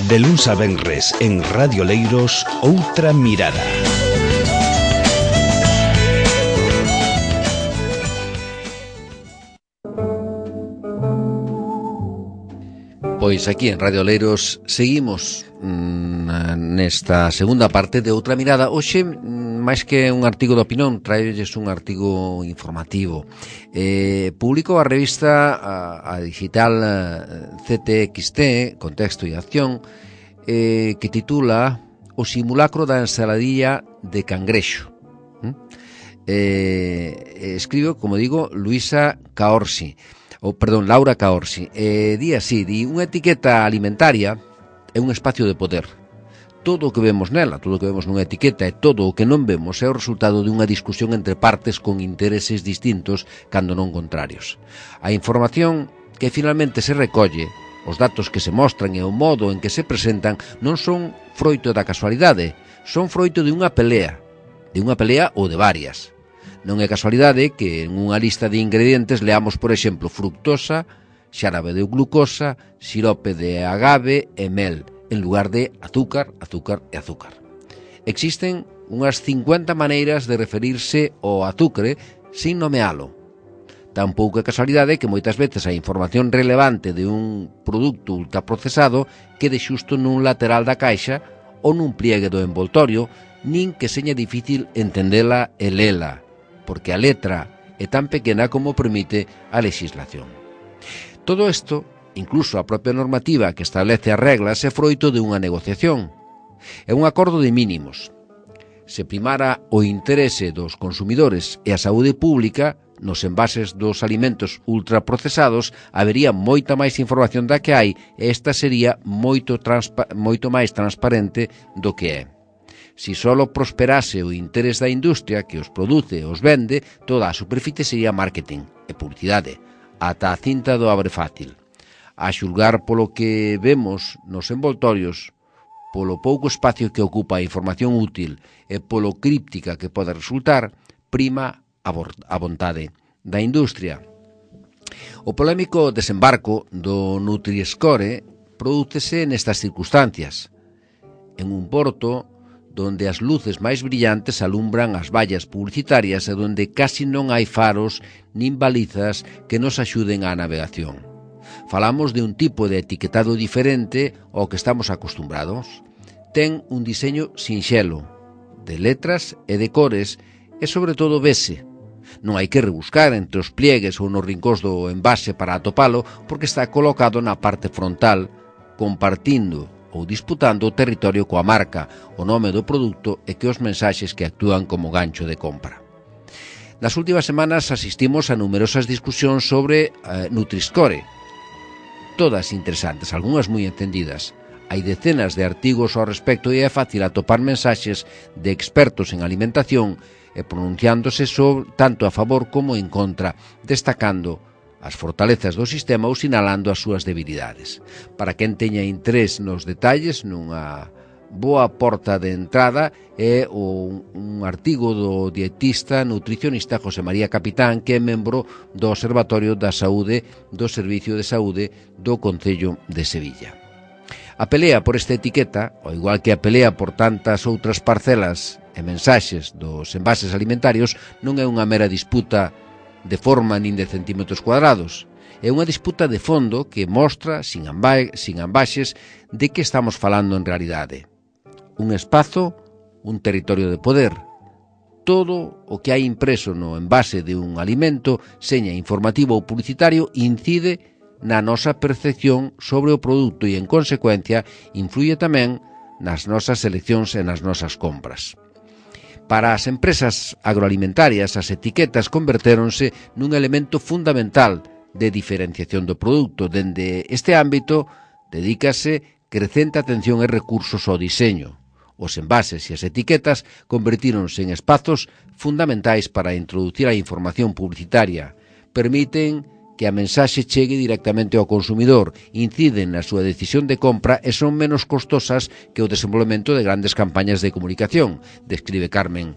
De luns a venres en Radio Leiros, Outra Mirada. Pois aquí en Radio Leiros seguimos nesta segunda parte de Outra Mirada. Hoxe, máis que un artigo de opinión, traolles un artigo informativo. Publicou a revista a digital CTXT, Contexto e Acción, que titula O simulacro da ensaladilla de cangrexo. Escribe, como digo, Laura Caorsi. Di así, unha etiqueta alimentaria é un espacio de poder. Todo o que vemos nela, todo o que vemos nunha etiqueta e todo o que non vemos é o resultado de unha discusión entre partes con intereses distintos, cando non contrarios. A información que finalmente se recolle, os datos que se mostran e o modo en que se presentan non son froito da casualidade, son froito de unha pelea ou de varias. Non é casualidade que en unha lista de ingredientes leamos, por exemplo, fructosa, xarabe de glucosa, sirope de agave e mel, en lugar de azúcar, azúcar e azúcar. Existen unhas 50 maneiras de referirse ao azucre sin nomealo. Tampouco é casualidade que moitas veces a información relevante de un produto ultraprocesado quede xusto nun lateral da caixa ou nun pliegue do envoltorio, nin que seña difícil entendela e lela, porque a letra é tan pequena como permite a legislación. Todo isto, incluso a propia normativa que establece as reglas, é froito de unha negociación. É un acordo de mínimos. Se primara o interese dos consumidores e a saúde pública, nos envases dos alimentos ultraprocesados habería moita máis información da que hai e esta sería moito máis transparente do que é. Si solo prosperase o interés da industria que os produce e os vende, toda a superficie sería marketing e publicidade, ata a cinta do abre fácil. A xulgar polo que vemos nos envoltorios, polo pouco espacio que ocupa a información útil e polo críptica que pode resultar, prima a vontade da industria. O polémico desembarco do Nutri-Score prodúcese nestas circunstancias. En un porto donde as luces máis brillantes alumbran as vallas publicitarias e donde casi non hai faros nin balizas que nos axuden á navegación. Falamos de un tipo de etiquetado diferente ao que estamos acostumbrados. Ten un diseño sinxelo, de letras e de cores, e sobre todo vese. Non hai que rebuscar entre os pliegues ou nos rincóns do envase para atopalo, porque está colocado na parte frontal, compartindo ou disputando o territorio coa marca, o nome do produto e que os mensaxes que actúan como gancho de compra. Nas últimas semanas asistimos a numerosas discusións sobre Nutri-Score, todas interesantes, algunhas moi entendidas. Hai decenas de artigos ao respecto e é fácil atopar mensaxes de expertos en alimentación e pronunciándose tanto a favor como en contra, destacando as fortalezas do sistema ou sinalando as súas debilidades. Para quen teña interés nos detalles, nunha boa porta de entrada é un artigo do dietista nutricionista José María Capitán, que é membro do Observatorio da Saúde do Servicio de Saúde do Concello de Sevilla. A pelea por esta etiqueta, ao igual que a pelea por tantas outras parcelas e mensaxes dos envases alimentarios, non é unha mera disputa de forma nin de centímetros cuadrados. É unha disputa de fondo que mostra, sin ambaxes, de que estamos falando en realidade. Un espazo, un territorio de poder. Todo o que hai impreso no envase de un alimento, seña informativo ou publicitario, incide na nosa percepción sobre o produto e, en consecuencia, influye tamén nas nosas eleccións e nas nosas compras. Para as empresas agroalimentarias, as etiquetas convertéronse nun elemento fundamental de diferenciación do produto. Dende este ámbito, dedícase crecente atención e recursos ao diseño. Os envases e as etiquetas convertíronse en espazos fundamentais para introducir a información publicitaria. Permiten que a mensaxe chegue directamente ao consumidor, inciden na súa decisión de compra e son menos costosas que o desenvolvemento de grandes campañas de comunicación, describe Carmen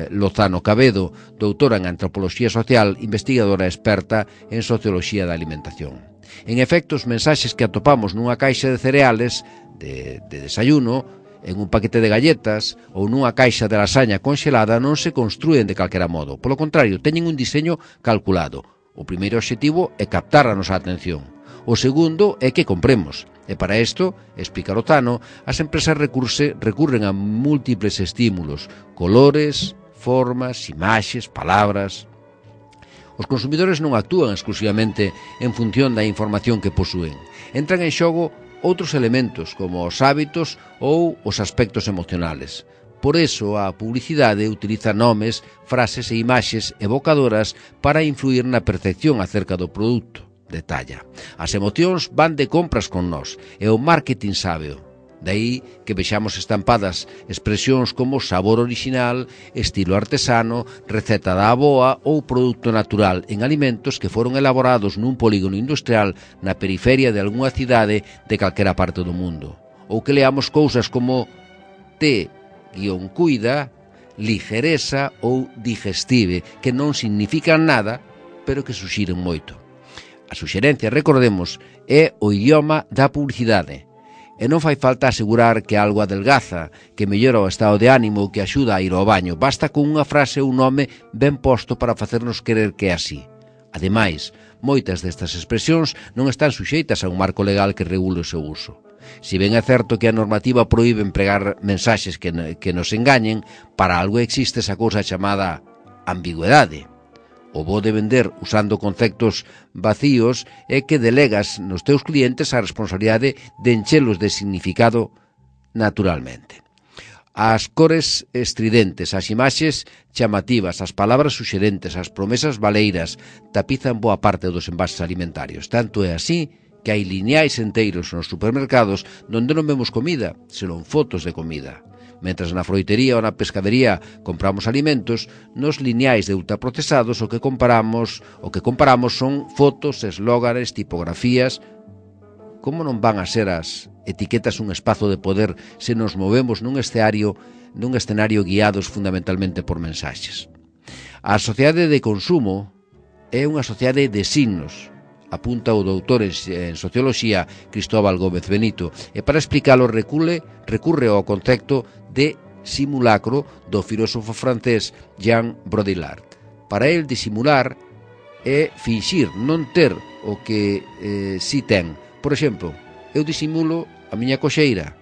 Lozano Cabedo, doutora en Antropoloxía Social, investigadora experta en Socioloxía da Alimentación. En efecto, os mensaxes que atopamos nunha caixa de cereales de desayuno, en un paquete de galletas ou nunha caixa de lasaña conxelada non se construen de calquera modo. Polo contrario, teñen un diseño calculado. O primeiro obxectivo é captar a nosa atención. O segundo é que compremos. E para isto, explica Lozano, as empresas recurren a múltiples estímulos, colores, formas, imaxes, palabras. Os consumidores non actúan exclusivamente en función da información que posúen. Entran en xogo outros elementos como os hábitos ou os aspectos emocionales. Por eso, a publicidade utiliza nomes, frases e imaxes evocadoras para influir na percepción acerca do produto. Detalla. As emocións van de compras con nós, e o marketing sábeo. Daí que vexamos estampadas expresións como sabor original, estilo artesano, receta da avoa ou produto natural en alimentos que foron elaborados nun polígono industrial na periferia de algunha cidade de calquera parte do mundo. Ou que leamos cousas como cuida, ligereza ou digestive, que non significan nada, pero que suxiren moito. A suxerencia, recordemos, é o idioma da publicidade. E non fai falta asegurar que algo adelgaza, que mellora o estado de ánimo ou que axuda a ir ao baño. Basta con unha frase ou un nome ben posto para facernos querer que é así. Ademais, moitas destas expresións non están suxeitas a un marco legal que regule o seu uso. Si ben é certo que a normativa proíbe empregar mensaxes que nos engañen, para algo existe esa cousa chamada ambigüedade. O bo de vender usando conceptos vacíos é que delegas nos teus clientes a responsabilidade de enchelos de significado naturalmente. As cores estridentes, as imaxes chamativas, as palabras suxerentes, as promesas valeiras tapizan boa parte dos envases alimentarios. Tanto é así que hai lineais enteiros nos supermercados donde non vemos comida, senón fotos de comida. Mentras na froitería ou na pescadería compramos alimentos, nos lineais de ultraprocesados o que comparamos son fotos, eslóganes, tipografías. Como non van a ser as etiquetas un espazo de poder se nos movemos nun escenario guiados fundamentalmente por mensaxes? A sociedade de consumo é unha sociedade de signos, apunta o doutor en Socioloxía Cristóbal Gómez Benito, e para explicalo recurre ao concepto de simulacro do filósofo francés Jean Baudrillard. Para el, disimular é finxir non ter o que si ten. Por exemplo, eu disimulo a miña coxeira.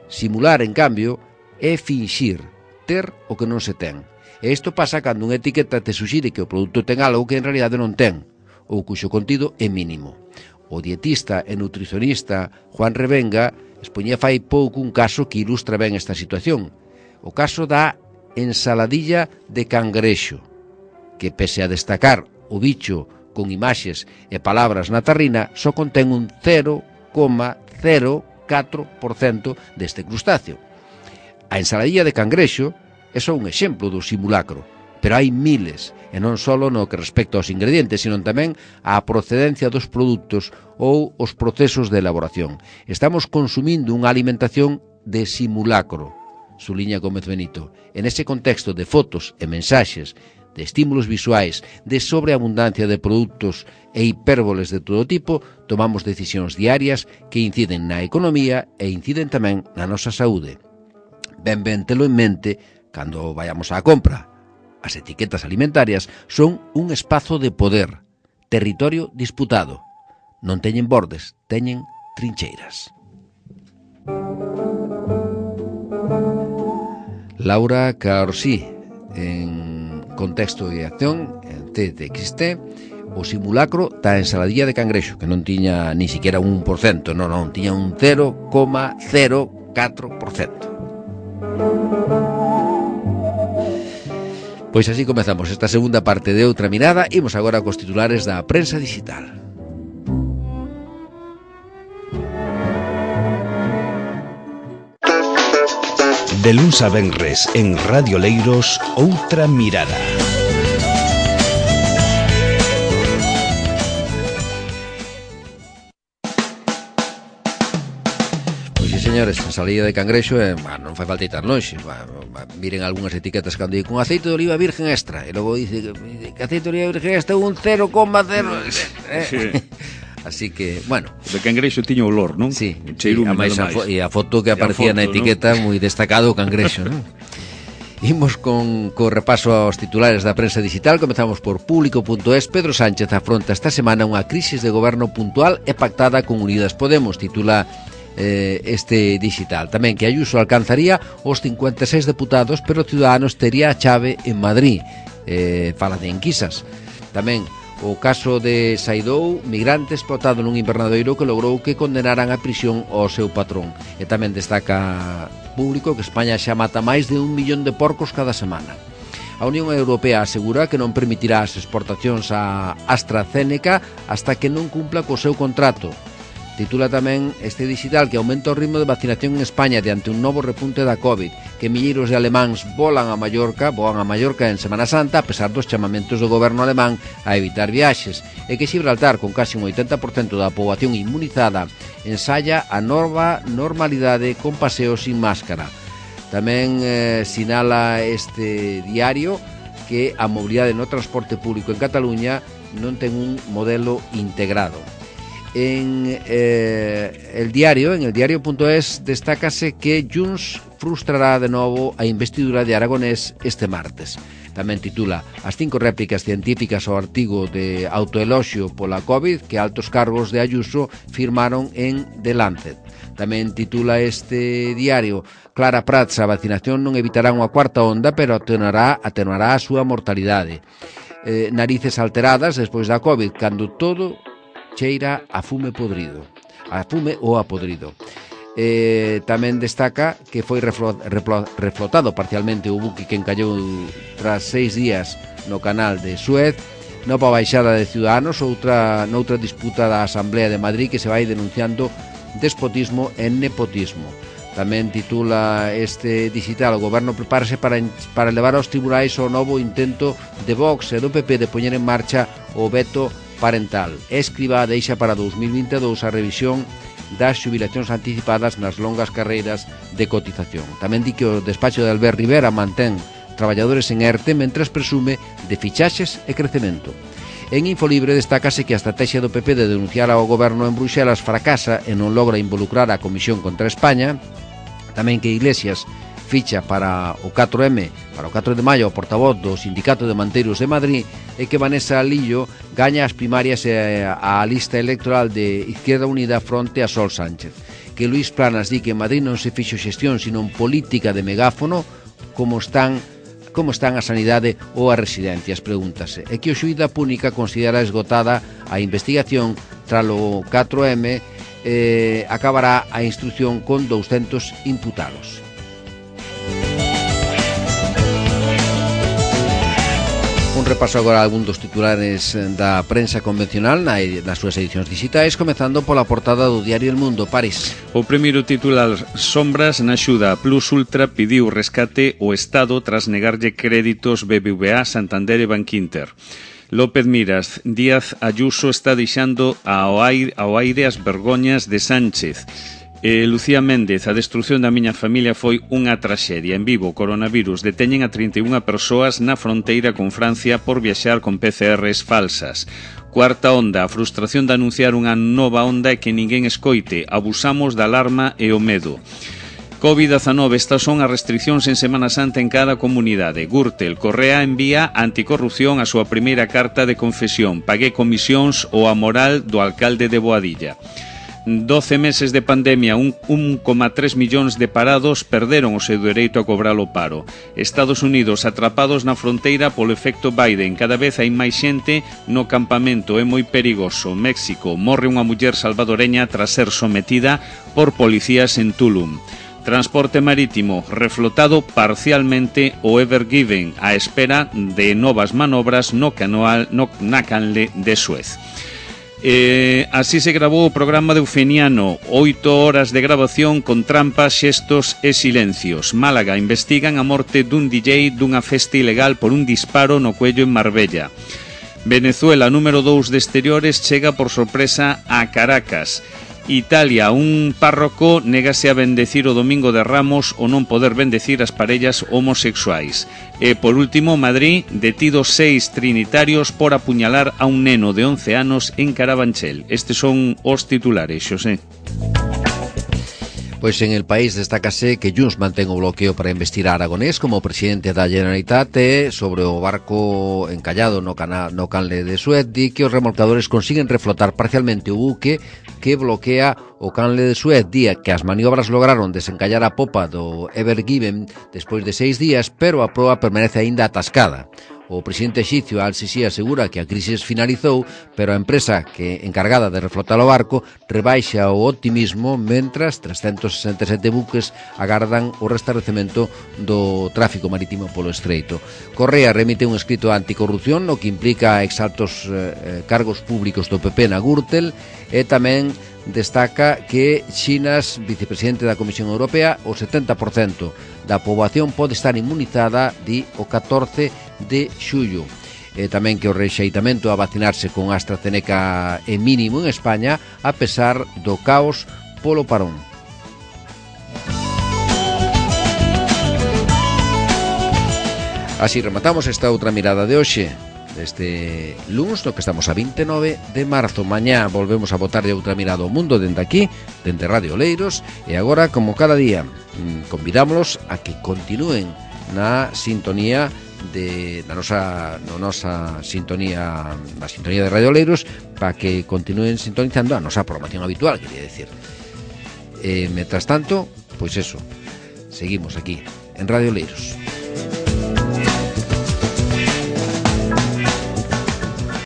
Simular, en cambio, é finxir ter o que non se ten. E isto pasa cando unha etiqueta te suxire que o produto ten algo que en realidade non ten, ou cuxo contido é mínimo. O dietista e nutricionista Juan Revenga expoñía fai pouco un caso que ilustra ben esta situación. O caso da ensaladilla de cangrexo, que pese a destacar o bicho con imaxes e palabras na tarrina, só contén un 0,04% deste crustáceo. A ensaladilla de cangrexo é só un exemplo do simulacro, pero hai miles, e non só no que respecta aos ingredientes, sino tamén á procedencia dos produtos ou os procesos de elaboración. Estamos consumindo unha alimentación de simulacro, suliña Gómez Benito. En ese contexto de fotos e mensaxes, de estímulos visuais, de sobreabundancia de produtos e hipérboles de todo tipo, tomamos decisións diarias que inciden na economía e inciden tamén na nosa saúde. Ben telo en mente cando vayamos á compra. As etiquetas alimentarias son un espazo de poder, territorio disputado. Non teñen bordes, teñen trincheiras. Laura Caorsí, en Contexto e Acción, en TXT, o simulacro da ensaladilla de cangrexo, que non tiña ni siquiera un 1%, non, tiña un 0,04%. Pois así comezamos esta segunda parte de Outra Mirada. Imos agora cos titulares da prensa digital. De luns a venres en Radio Leiros, Outra Mirada. señores, ensalada de cangrexo non fai falta ir lonxe. Miren algunhas etiquetas cando di con aceite de oliva virgen extra, e logo dice que aceite de oliva virgen extra un 0,0. Así que, bueno, de cangrexo tiña olor, non? Sí, e a foto que aparecía na etiqueta, ¿no? Moi destacado o cangrexo, non? Imos con repaso aos titulares da prensa digital. Comezamos por Público.es. Pedro Sánchez afronta esta semana unha crisis de goberno puntual e pactada con Unidas Podemos, titula este digital. Tamén que Ayuso alcanzaría os 56 deputados, pero Ciudadanos tería a chave en Madrid. Fala de enquisas. Tamén o caso de Saidou, migrante explotado nun invernadoiro que logrou que condenaran a prisión ao seu patrón. E tamén destaca Público que España xa mata máis de 1 millón de porcos cada semana. A Unión Europea asegura que non permitirá as exportacións a AstraZeneca hasta que non cumpla co seu contrato. Titula tamén este digital que aumenta o ritmo de vacinación en España diante un novo repunte da COVID, que milleiros de alemáns voan a Mallorca en Semana Santa a pesar dos chamamentos do goberno alemán a evitar viaxes, e que Xibraltar, con casi un 80% da poboación inmunizada, ensaya a nova normalidade con paseos sin máscara. Tamén sinala este diario que a mobilidade no transporte público en Cataluña non ten un modelo integrado. En el diario.es destácase que Junts frustrará de novo a investidura de Aragonés este martes. Tamén titula as 5 réplicas científicas ao artigo de autoeloxio pola COVID que altos cargos de Ayuso firmaron en The Lancet. Tamén titula este diario Clara Prats, a vacinación non evitará unha cuarta onda, pero atenuará a súa mortalidade. Narices alteradas despois da COVID, cando todo cheira a fume podrido, a fume ou a podrido. Tamén destaca que foi reflotado parcialmente o buque que encallou tras 6 días no canal de Suez. Nova baixada de Ciudadanos, noutra disputa da Asamblea de Madrid que se vai denunciando despotismo e nepotismo. Tamén titula este digital: o goberno prepárase para levar aos tribunais o novo intento de Vox e do PP de poñer en marcha o veto parental. Escrivá deixa para 2022 a revisión das xubilacións anticipadas nas longas carreiras de cotización. Tamén di que o despacho de Albert Rivera mantén traballadores en ERTE mentres presume de fichaxes e crecemento. En Infolibre destácase que a estrategia do PP de denunciar ao goberno en Bruxelas fracasa e non logra involucrar a Comisión contra España. Tamén que Iglesias ficha para o 4M, para o 4 de maio, o portavoz do Sindicato de Manteiros de Madrid, e que Vanessa Lillo gaña as primarias e a lista electoral de Izquierda Unida fronte a Sol Sánchez. Que Luís Planas di que en Madrid non se fixo xestión, sino política de megáfono, como están a sanidade ou as residencias, pregúntase. E que o xuíz da Púnica considera esgotada a investigación tralo 4M, acabará a instrucción con 200 imputados. Un repaso agora a algún dos titulares da prensa convencional nas súas edicións digitais, comezando pola portada do diario El Mundo. París. O primeiro titular: Sombras na axuda. Plus Ultra pidiu rescate o Estado tras negarlle créditos BBVA, Santander e Bankinter. López Miras: Díaz Ayuso está deixando ao aire as vergoñas de Sánchez. Lucía Méndez: a destrucción da miña familia foi unha traxedia. En Vigo, coronavirus: deteñen a 31 persoas na fronteira con Francia por viaxar con PCRs falsas. Cuarta onda: a frustración de anunciar unha nova onda e que ninguén escoite. Abusamos da alarma e o medo. COVID-19, estas son as restriccións en Semana Santa en cada comunidade. Gürtel: Correa envía a Anticorrupción a súa primeira carta de confesión. Pagué comisións ou a moral do alcalde de Boadilla. 12 meses de pandemia, 1,3 millóns de parados perderon o seu dereito a cobrar o paro. Estados Unidos atrapados na fronteira polo efecto Biden. Cada vez hai máis xente no campamento, é moi perigoso. México: morre unha muller salvadoreña tras ser sometida por policías en Tulum. Transporte marítimo: reflotado parcialmente o Ever Given á espera de novas manobras na canle de Suez. Así se grabou o programa de Eufeniano, 8 horas de grabación con trampas, xestos e silencios. Málaga: investigan a morte dun DJ dunha festa ilegal por un disparo no cuello en Marbella. Venezuela: número 2 de exteriores chega por sorpresa a Caracas. Italia, un párroco négase a bendecir o Domingo de Ramos o non poder bendecir as parellas homosexuais. E, por último, Madrid, detidos 6 trinitarios por apuñalar a un neno de 11 anos en Carabanchel. Estes son os titulares, Xosé. Pois en El País destácase que Junts mantén o bloqueo para investir a Aragonés como presidente da Generalitat sobre o barco encallado no canle de Suez, di que os remolcadores consiguen reflotar parcialmente o buque que bloquea o canle de Suez, día que as maniobras lograron desencallar a popa do Ever Given despois de 6 días, pero a proa permanece aínda atascada. O presidente exipcio Al-Sisi asegura que a crisis finalizou, pero a empresa que encargada de reflotar o barco rebaixa o optimismo mentras 367 buques agardan o restablecemento do tráfico marítimo polo estreito. Correa remite un escrito anticorrupción, o que implica exaltos cargos públicos do PP na Gürtel, e tamén destaca que Xinas, vicepresidente da Comisión Europea, o 70% da poboación pode estar inmunizada di o 14 de xullo. Tamén que o rexeitamento a vacinarse con AstraZeneca é mínimo en España a pesar do caos polo parón. Así rematamos esta outra mirada de hoxe deste lunes, no que estamos a 29 de marzo. Mañá volvemos a botarlle outra mirada ao mundo dende aquí, dende Radio Oleiros, e agora, como cada día, convidámoslos a que continúen na sintonía na nosa sintonía, na sintonía de Radio Oleiros, para que continúen sintonizando a nosa programación habitual, quería decir. Mientras tanto, pois eso, seguimos aquí en Radio Oleiros.